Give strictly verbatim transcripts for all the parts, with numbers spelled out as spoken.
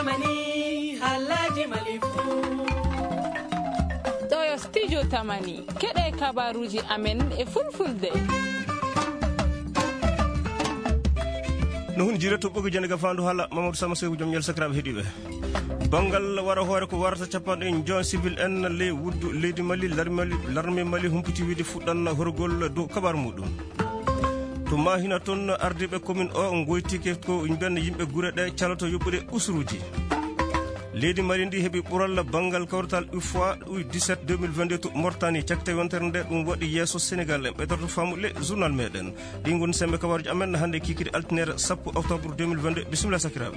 Tamani, haalaaji Mali fuu. Ɗo yo Studio Tamani, keɗe kabaaruuji amen e Fulfulde. No hun jire to ɓogi jande gafaandu hala Mamadou Sama Seydou Diom Ñel sakiraaɓe heɗiiɓe. Banngal wara hoore ko warata capanɗe joy civil en ley wuddu leydi Mali, larme Mali, larme Mali humpiti wiide fuɗɗan horgol dow kabaaru muɗum. To Mahina toon, ardiiɓe commune o ngoytike ko ɓen yimɓe gure ɗe caloto yoɓude usuruuji. Leydi Mali ndi heɓi ɓural banngal kawrital U F O A U dix-sept deux mille vingt-deux to Mauritanie, cakte yontere nde ɗum waɗi yeeso Sénégal. En ɓeydoto faamude journal meɗen. Ɗi ngoni semmbe kabaaruuji amen hannde kikiiɗe altine sappo octobre deux mille vingt-deux. Bisimilla sakiraaɓe.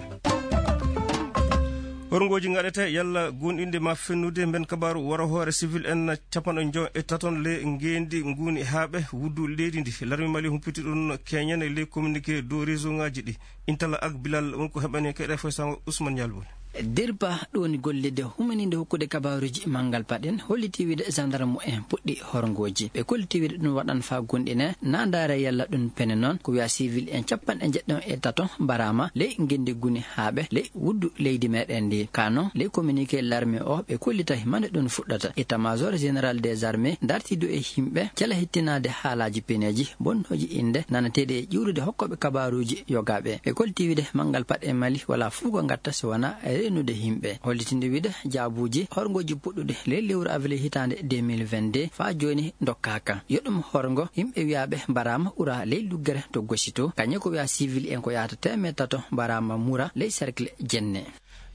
Horngooji ngaɗete yalla goonɗinde ma fennude mben kabaaru wara hoore civil en capanɗe joy e taton le ngeendi nguni haaɓe wuddu leydi ndi. Larmi Mali humpiti ɗum keñen e ley communiqué dow réseau ngaji ɗi. Intala ak Bilal won ko heɓani keɗe foy sango Ousmane Yalbol. Dirba ɗoni gollide humaninde hokkude kabaaruuji manngal paɗen holliti wiide gendarme en puɗɗi horngooji. Ɓe kolliti wiide ɗum waɗan faa gonɗine naandaare yalla ɗum pene noon ko wiya civil en capanɗe jeɗɗon e tato mbaraama ley ngenndi guni haaɓe ley wuddu leydi meɗen ndi. Ka noon ley communiqué larme o ɓe kollitay mande ɗum fuɗɗata. État major général des armées dartidu e yimɓe cela hettinaade haalaaji peneeji bonnooji innde nanateeɗi e ƴiwrude hokkooɓe kabaaruuji yogaaɓe. Ɓe kolliti wiide manngal paɗe Mali wala fuu ko ngatta so wona reenude yimɓe. Hollitinde wiide jaabuuji horngooji puɗɗude ley lewru avril hitaande deux mille vingt-deux faa jooni ndokkaaka. Yo ɗum horngo yimɓe wiyaaɓe mbaraama ura ley luggere to Gosi to. Kañum ko wiya civil en ko yahata teemeɗɗe tato mbaraama mura ley cercle Jenne.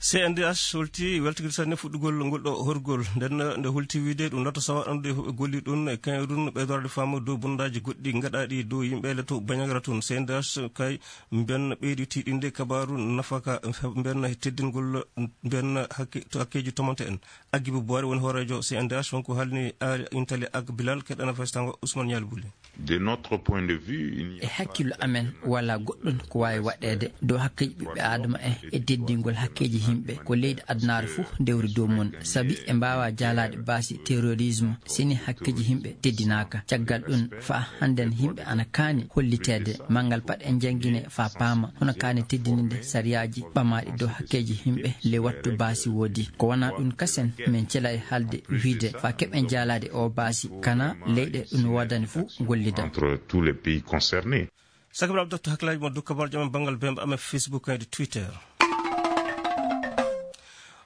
C N D H holti weltagol sanne fuɗɗugol ngol ɗo horgol. Nden nde holti wiide ɗum lato sawa ɗon ɗo golli ɗum e kañum ɗum ɓeydorade faamu dow bonndaji goɗɗi gaɗaɗi dow yimɓe le to Banyagra tun. C N D H kay mben ɓeydi tiiɗinde kabaaru nafaka mben teddingol mben hakke, to hakkeji tomante en. Agibu Boire woni hoorejo C N D H wonko halni Ali Intali ak Bilal keɗana festango Ousmane Yalbuli. De notre point de vue, il n'y a E hakkillo amen, walaa goɗɗun ko waawi waɗeede dow hakkeeji ɓiɓɓe aadama en e teddingol hakkeeji yimɓe ko leydi adunaaru fuu dewri dow mun, sabi ɓe mbaawaa jaalaade baasi terrorisme, sini hakkeeji yimɓe teddinaaka. Caggal ɗun, faa hannden yimɓe ana kaani holliteede, manngal pat en janngine faa paama, hono kaani teddininde sariyaaji ɓamaaɗi dow hakkeeji yimɓe ley wattu baasi woodi. Ko wanaa ɗun kasen, men celay haalde wiide faa keɓen jaalaade oo baasi, kana leyɗe ɗun woodani fuu gollida. Entre tous les pays concernés. Sakiraaɓe, dokta hakkilaaji mon dow kabaaruuji amen banngal bemba amen Facebook e Twitter.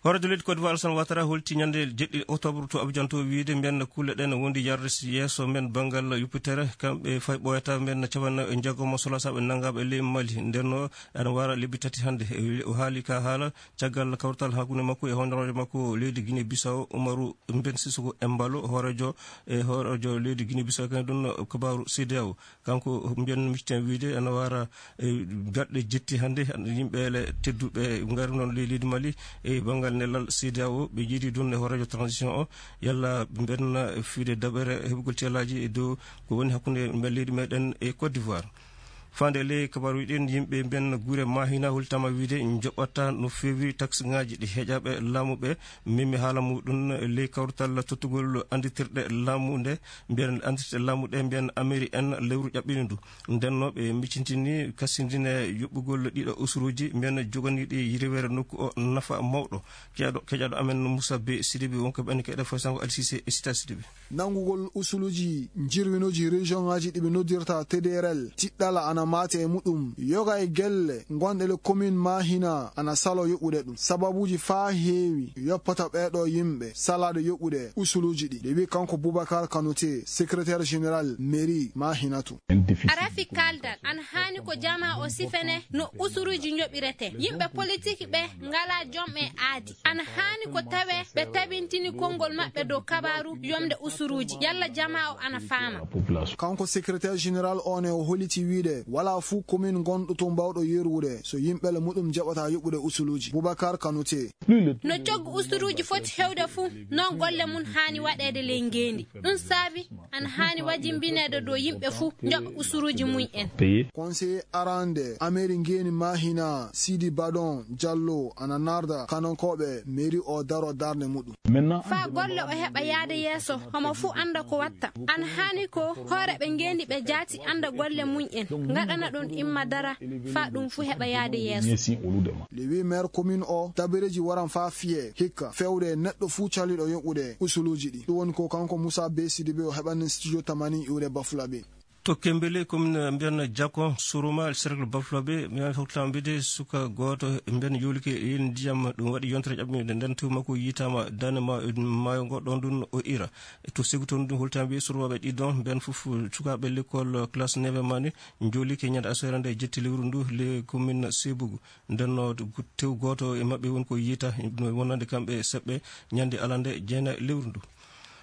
Hooreejo leydi Côte d'Ivoire Alassane Ouattara holti ñande jeɗɗi octobre to Abidjan to wiide mbiyen kulle ɗen wondi yarde yeeso men banngal yuppitere kamɓe fay ɓooyata mbiyen capanɗe njeegom solasaaɓe nanngaaɓe ley Mali. Nden o ana wara lebbi tati hannde. O haali ka haala caggal kawtal hakkunde makko e honoraajo makko leydi Guinée Bissau Umaru Mben Sissoko Embalo hooreejo e hooreejo leydi Guinée Bissau kañum ɗum kabaaru C D A O. Kanko mbiyen micciten wiide ana wara e baɗɗe jetti hannde yimɓe le tedduɓe ngari noon ley leydi Mali e banngal nelal C D A O ɓe jiidi ɗum e hooreejo transition o yalla mben fiide daɓere heɓugol ceelaaji e dow ko woni hakkunde mben leydi meɗen e Côte d'Ivoire. Faande ley kabaaruuji ɗin yimɓe mben gure Mahina holtama wiide joɓata no feewi taxe ngaji ɗi heƴaɓe laamu ɓe memi haala muɗum ley kawrital tottugol anditirɗe laamu nde mbiyen andirte laamu ɗe mbiyen Ameri en lewru ƴaɓɓini ndu. Nden no ɓe miccintini kassindine yuɓɓugol ɗiɗo usuruuji mbiyen joganiiɗi yirweere nokku o nafa mawɗo. Keɗo, keƴaɗo amen Moussa Bey Sidibé wonko ɓen keɗe foy sango Alsise e Sita Sidibé. Nanngugol usuluuji jirwinooji région ŋaaji ɗi ɓe noddirta T D R L, tiɗɗala ana maate e muɗum. Yoga e gelle gonɗe le commune Mahina ana salo yoɓude ɗum. Sababuuji faa heewi yoppata ɓeeɗo yimɓe salaade yoɓude usuluuji ɗi. Nde wi'i kanko Boubacar Kanouté, secrétaire général mairie Mahinatu. Arafi kaldal ana haani ko jamaa o sifene no usuruuji njoɓirete. Yimɓe politik ɓe ngalaa jom e aadi. Ana haani ko tawee ɓe tabintini konngol maɓɓe dow kabaaru yomde usuruuji. Yalla jamaa o ana faama. Kanko secrétaire général o ne o holiti wiide walaa fuu commune gonɗo to mbawɗo yerwude so yimɓe le muɗum jaɓata yoɓude usuluuji. Boubacar Kanouté. No coggu usuruuji foti hewde fuu, non golle mun haani waɗeede ley ngeendi. Ɗum saabi ana haani wajimbineede dow yimɓe fuu njoɓa usuruuji mum en. Conseiller arande Ameri Ngeeni Mahina, Sidi Badon Jallo, ana narda kanankooɓe mairie o daro darnde muɗum. Faa golle o heɓa yaade yeeso, homo fuu annda ko watta. Ana haani ko hooreeɓe ngeendi ɓe jaati annda golle mum en. Aɗana ɗum imma dara, faa ɗum fuu heɓa yahde yeeso. Les huit maires commune o, tabireeji waran faa fiyee hikka, feewde e neɗɗo fuu caliiɗo yoɓude usuluuji ɗi. Ɗum woni ko kanko Moussa Bey Sidibé o heɓani studio Tamani iwde Bafulaɓe. To Kembele, commune mbiyan Jakon, Suruma, cercle Bafulaɓe, mi hokkataa mbiyde suka gooto mbiyan yoolike e ndiyam, ɗum waɗi yontere ƴaɓɓiinde nden tew makko yitaama dane ma-, maayo ngo ɗon ɗum o ira. To Segu toon ɗum holtaama wiye surwaaɓe ɗiɗon, ɓen fof sukaaɓe l'école classe neuvième année, njoolike ñande aseere nde jetti lewru ndu, le commune Sebugu. Nden no tew gooto e maɓɓe woni ko yiita, no wonande kamɓe seɓɓe ñande alande jeena lewru ndu.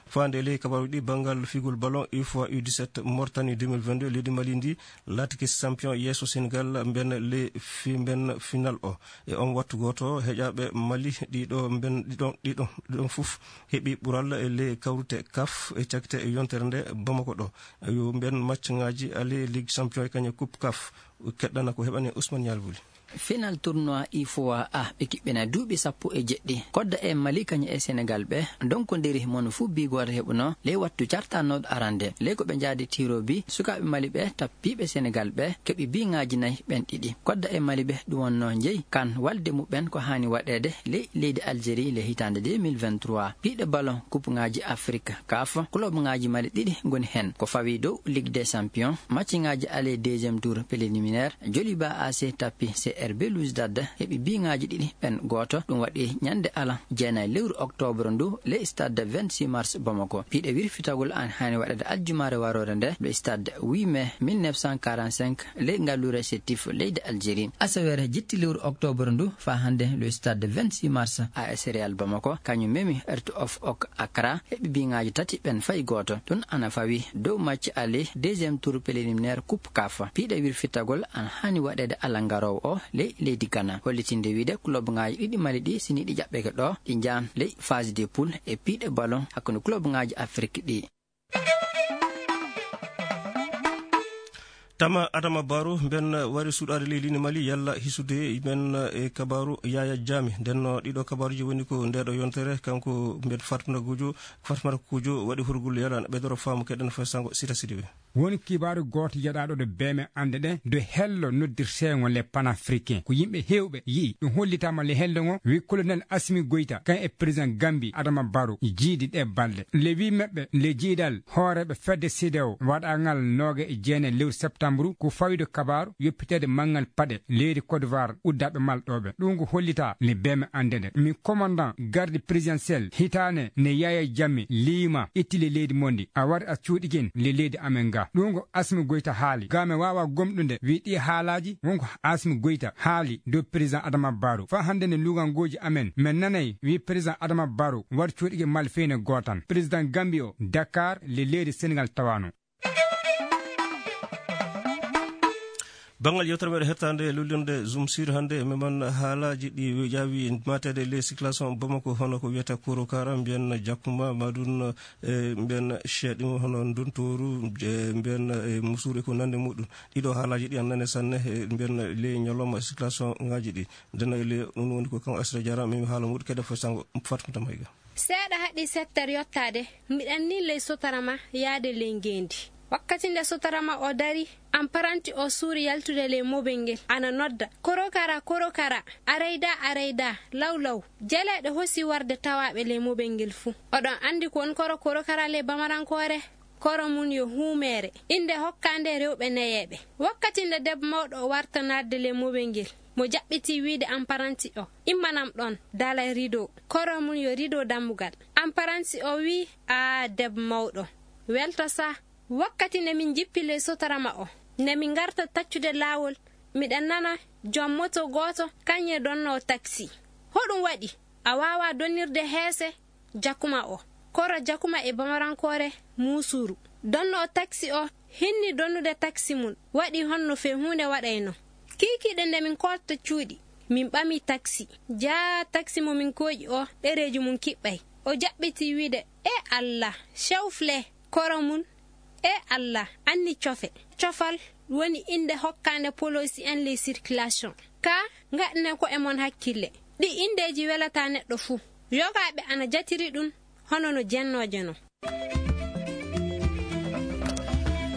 Faande ley kabaaruuji ɗi, banngal figol ballon U F O A U dix-sept Mauritanie deux mille vingt-deux, leydi Mali ndi laatike champion yeeso Sénégal mben le fi-, mben final o. E on wattu gooto, heƴaaɓe Mali ɗiɗo mben, ɗiɗon, ɗiɗon, ɗiɗon fof heɓi ɓural e le kawrite kaf e cakte e yontere nde Bamako ɗo. Yo mben match ŋaaji aller Ligue Champion e kañe Coupe kaf. Keɗɗana ko heɓani Ousmane Nial Wuli. Final tournoi U F O A A ɓe kiɓɓina duuɓi sappo e jeɗɗi. Kodda e Mali kañum e Senegal ɓe ndonkondiri mono fuu bi gooto heɓuno ley wattu cartanooɗo arande. Ley ko ɓe njaadi tiro bi, sukaaɓe Mali ɓe tappiiɓe Senegal ɓe keɓi bi ŋaaji nayi ɓen ɗiɗi. Kodda e Mali ɓe ɗum wonno njeyi kan walde muɓɓen ko haani waɗeede ley leydi Algérie le hitaande deux mille vingt-trois. Piiɗe ballon coupe ŋaaji Afrique kaf, club ŋaaji Mali ɗiɗi ngoni hen. Ko fawi dow Ligue des Champions, match ŋaaji aller deuxième tour préliminaire, Joliba A C tappi C R B Belouizdad, heɓi bi ŋaaji ɗiɗi ɓen gooto. Ɗum waɗi ñande alan jeenayi lewru octobre ndu, ley stade vingt-six mars Bamako. Piiɗe wirfitagol an haani waɗeede aljumaare waroore nde, le stade huit mai mille neuf cent quarante-cinq, ley ngalluure Sétif, leydi Algérie. Asaweere jetti lewru octobre ndu, faa hannde, le stade vingt-six mars, A S Real Bamako, kañum memi Hearts of Oak Accra, heɓi bi ŋaaji tati ɓen fay gooto. Ɗum ana fawi dow match aller deuxième tour préliminaire Coupe kaf. Piiɗe wirfitagol ana haani waɗeede alan garoowo o ley leydi Ghana. Hollitinde wiide club ŋaaji ɗiɗi Mali ɗi, sini ɗi jaɓɓeke ɗo, ɗi njaan ley phase de poule e piiɗe ballon hakkunde club ŋaaji Afrique ɗi. Tama Adama Barrow, mben wari suuɗaade ley leydi Mali, yalla hisude men e kabaaru Yaya Jammeh. Nden no ɗiɗo kabaaruji woni ko ndeeɗo yontere, kanko mben Fatmata Kujo, Fatmata Kujo waɗi hurgol yalla na ɓeydoro faamu keɗen fay sango Sita Sidibe. Woni kibaaru gooto yeɗaaɗo ɗo beeme annde ɗe, do hello noddirteengo le panafricain. Ko yimɓe heewɓe yi'i. Ɗum hollitaama le hello ngo, wi Colonel Assimi Goïta, kan e président Gambie Adama Barrow, jiidi ɗe balɗe. Le wi maɓɓe, le jiidal hooreeɓe fedde CEDEAO waɗaangal nooga e jeenayi lewru septembre, ko fawido kabaaru yoppiteede manngal paɗe leydi Côte d'Ivoire uddaaɓe malɗooɓe. Ɗum ko hollita le beeme annde ɗe. Mi commandant garde présidentielle hitaane ne Yaya Jammeh liima itti le leydi mondi. A wari a cuuɗikin le leydi amen ga. Ɗum ko Assimi Goïta haali. Ga mi waawa gomɗude wi ɗi haalaaji wonko Assimi Goïta haali dow président Adama Barrow. Faa hannde ne luuganngooji amen, men nanay wi président Adama Barrow waɗi cuuɗike malfeene gootan. Président Gambie o, Dakar, le leydi Sénégal tawano. Banngal yewtere meɗen hettaande lullirde Zoom Sud hannde, meman haalaaji ɗi ƴaawi mateede le circulation Bamako, hono ko wiyata Korokara, mbiyen Jakuma, maɗum e mbiyen Cheɗimo, hono Ndontooru, e mbiyen e Musuuru e ko nande muɗum. Ɗiɗo haalaaji ɗi ana nane sanne, e mbiyen ley ñalawma circulation ŋaaji ɗi. Ndena e ley ɗum woni ko kanko Asra Diarra, min haala muɗum kede fo sango Fatmata Mayga. Seeɗa haɗi settere yottaade, miɗen nii ley Sotarama yaade ley ngeendi. Wakkati nde Sotarama o dari, amparanti o suuri yaltude ley mobel ngel, ana nodda, "Korokara, Korokara, arayda, arayda, law, law." Jeleeɗe hosi warde tawaaɓe ley mobel ngel fuu. Oɗon anndi ko woni koro Korokara ley Bamarankoore? Koro mum yo huumeere, innde hokkaande rewɓe nayeeɓe. Wakkati nde debbo mawɗo o warta naatde ley mobel ngel, mo jaɓɓitii wiide amparanti o, "Immanam ɗon, daalay rido." Koro mum yo rido dammugal. Amparanti o wii, "Aa, debbo mawɗo, welto sa." Wakkati nde min njippi ley Sotarama o, nde min ngarta taccude laawol, miɗen nana jom moto gooto kañum e donnoowo taksi. "Hoɗum waɗi? A waawaa donnirde heese Jakuma o." Koro Jakuma e Bamarankoore Muusuru. Donnoowo taksi o hinni donnude taksi mum, waɗi honno fee huunde waɗayno. Kiikiiɗe nde min koolta cuuɗi, min ɓami taksi. Jaa taksi mo min kooƴi o, ɗereeji mum kiɓɓay. O jaɓɓitii wiide, "E Allah, cewfle." Koro mum, "E Allah, anni cofe." Cofal woni innde hokkaande poloosi en ley circulation. Ka ngaɗnen ko'e mon hakkille. Ɗi inndeeji welataa neɗɗo fuu. Yogaaɓe ana jatiri ɗum hono no jennooje non.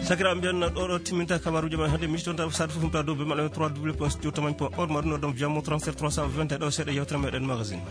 Sakiraaɓe, mbiyen ɗo ɗo timminta kabaruuji men hannde. Miijitoɗon saɗa fof humta dow be maɗa trois w point studio tamani point org, maɗum ɗo ɗon via mo trente-sept trois cent vingt e ɗo seeɗa yewtere meɗen magazine.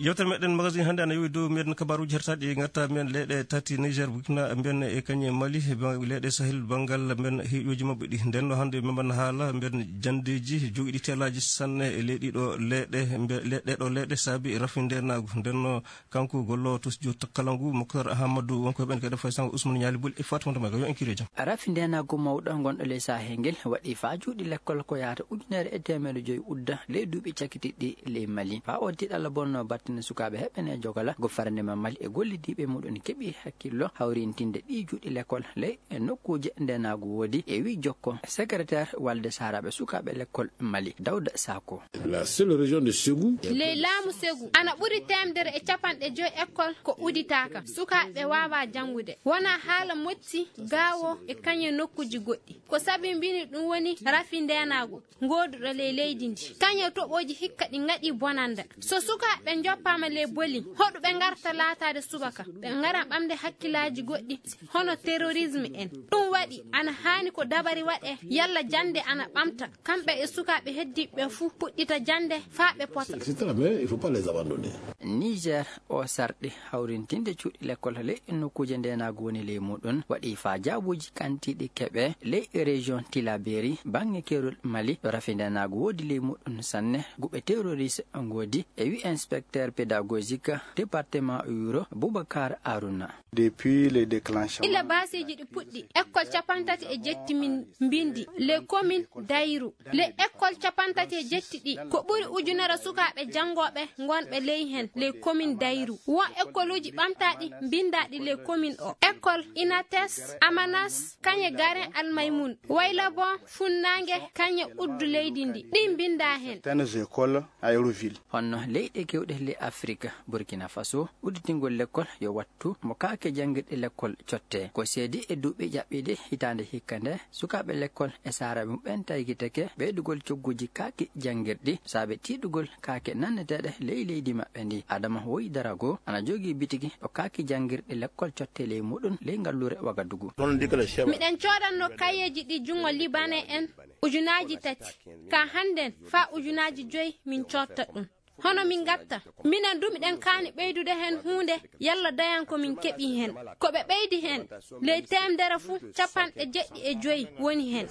Yewtere meɗen magazine hannde ana yowi dow mbiyen kabaruuji hertaaɗi ngarta mbiyen leyɗe tati, Niger, Burkina, mbiyen e kañe Mali, ba-, leyɗe Sahel, banngal mbiyen heeƴooji maɓɓe ɗi. Nden no hannde min mbaɗna haala mbiyen janndeeji jogiiɗi teelaaji sanne e leyɗi ɗo leyɗe, mbiyen leyɗe ɗo leyɗe saabi rafi ndenaagu. Nden no kanko golloowo to studio kala ngu, Moktar Ahamadou, wonko heɓen kadi fay sango Ousmane Ñaali Bul e Fatimata Maga. Yo en kiire jam. Rafi ndenaagu mawɗo ngonɗo ley Sahel ngel waɗi faa juuɗe lekkol ko yahata ujunere e teemedde joyi udda ley duuɓi cakitiɗɗi ley Mali. Faa o tiiɗalla bonno battane sukaaɓe heɓene jogala go farande ma Mali e gollidiiɓe muɗum keɓi hakkillo hawrintinde ɗi juuɗe lekkol ley e nokkuuje ndenaagu woodi e wi jokko secrétaire walde saaraaɓe sukaaɓe lekkol Mali, Dawda Sako. La seule région de Ségou. Ley laamu Segu, ana ɓuri teemedere e capanɗe joyi ekkol ko uditaaka. Sukaaɓe waawa janngude. Wonaa haala moƴƴi gaawo e kañe nokkuuji goɗɗi. Ko sabi mbini ɗum woni rafi ndeenaagu ngooduɗo ley leydi ndi. Kañe toɓooji hikka ɗi ngaɗi bonannda. So sukaaɓe njoppaama ley boli, hoɗo ɓe ngarta laataade subaka? Ɓe ngara ɓamde hakkillaaji goɗɗi, hono terrorisme en. Ɗum waɗi, ana haani ko dabari waɗe, yalla jannde ana ɓamta. Kamɓe e sukaaɓe heddiiɓe ɓe fuu puɗɗita jannde faa ɓe pota. Et cetera, mais il faut pas les abandonner. Niger o sarɗi hawrintinde cuuɗi lekkol ley nokkuuje ndeenaagu woni ley muɗum, waɗi faa jaabuuji kantiiɗi keɓe ley région Tilaberi, baŋŋe keerol Mali, ɗo rafi ndeenaagu woodi ley muɗum sanne, guɓe terroriste ngoodi, e wi inspecteur pédagogique département Yuro, Boubacar Aruna. Depuis le déclenchement. Ila baaseeji ɗi puɗɗi, ekkol capantati e jetti min mbindi, les communes Dayru. Les écoles capantati e jetti ɗi, ko ɓuri ujunere sukaaɓe janngooɓe ngonɓe ley heen, les communes Dayru. Won ekkoluuji ɓamtaaɗi mbindaaɗi les communes o. École Inates, Amanas, kañe Garen Almaymun, Waylabon, Funnaange, kañe uddu leydi ndi. Ɗi mbindaa heen. Certaines écoles Aéroville. Honno leyɗe keewɗe ley Afirika, Burkina Faso, udditingol lekkol yo wattu mo kaake janngirɗe lekkol cotte. Ko seedi e duuɓi ƴaɓɓiiɗi hitaande hikka nde, sukaaɓe lekkol e saaraaɓe muɓɓen taykitake ɓeydugol cogguuji kaaki janngirɗi, saabe tiiɗugol kaake nanneteeɗe ley leydi maɓɓe ndi. Adama Woy Darago ana jogii bitigi ɗo kaaki janngirɗe lekkol cotte ley muɗum ley ngalluure Wagadugu. Miɗen coodanno kayeeji ɗi junngo Libanee en ujunaaji tati. Ka hannden faa ujunaaji joyi min cootta ɗum. Hono min ngatta? Minen du miɗen kaani ɓeydude heen huunde, yalla dayan ko min keɓi heen. Ko ɓe ɓeydi heen, ley teemedere fuu, capanɗe jeɗɗi e joyi woni heen.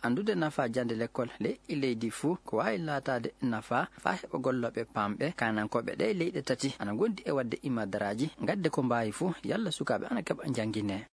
Anndude nafaa jannde lekkol ley leydi fuu, ko waawi laataade nafaa faa heɓa gollooɓe paamɓe. Kaanankooɓe ɗee leyɗe tati ana ngondi e waɗde imadaraaji, ngadde ko mbaawi fuu, yalla sukaaɓe ana keɓa njannginee.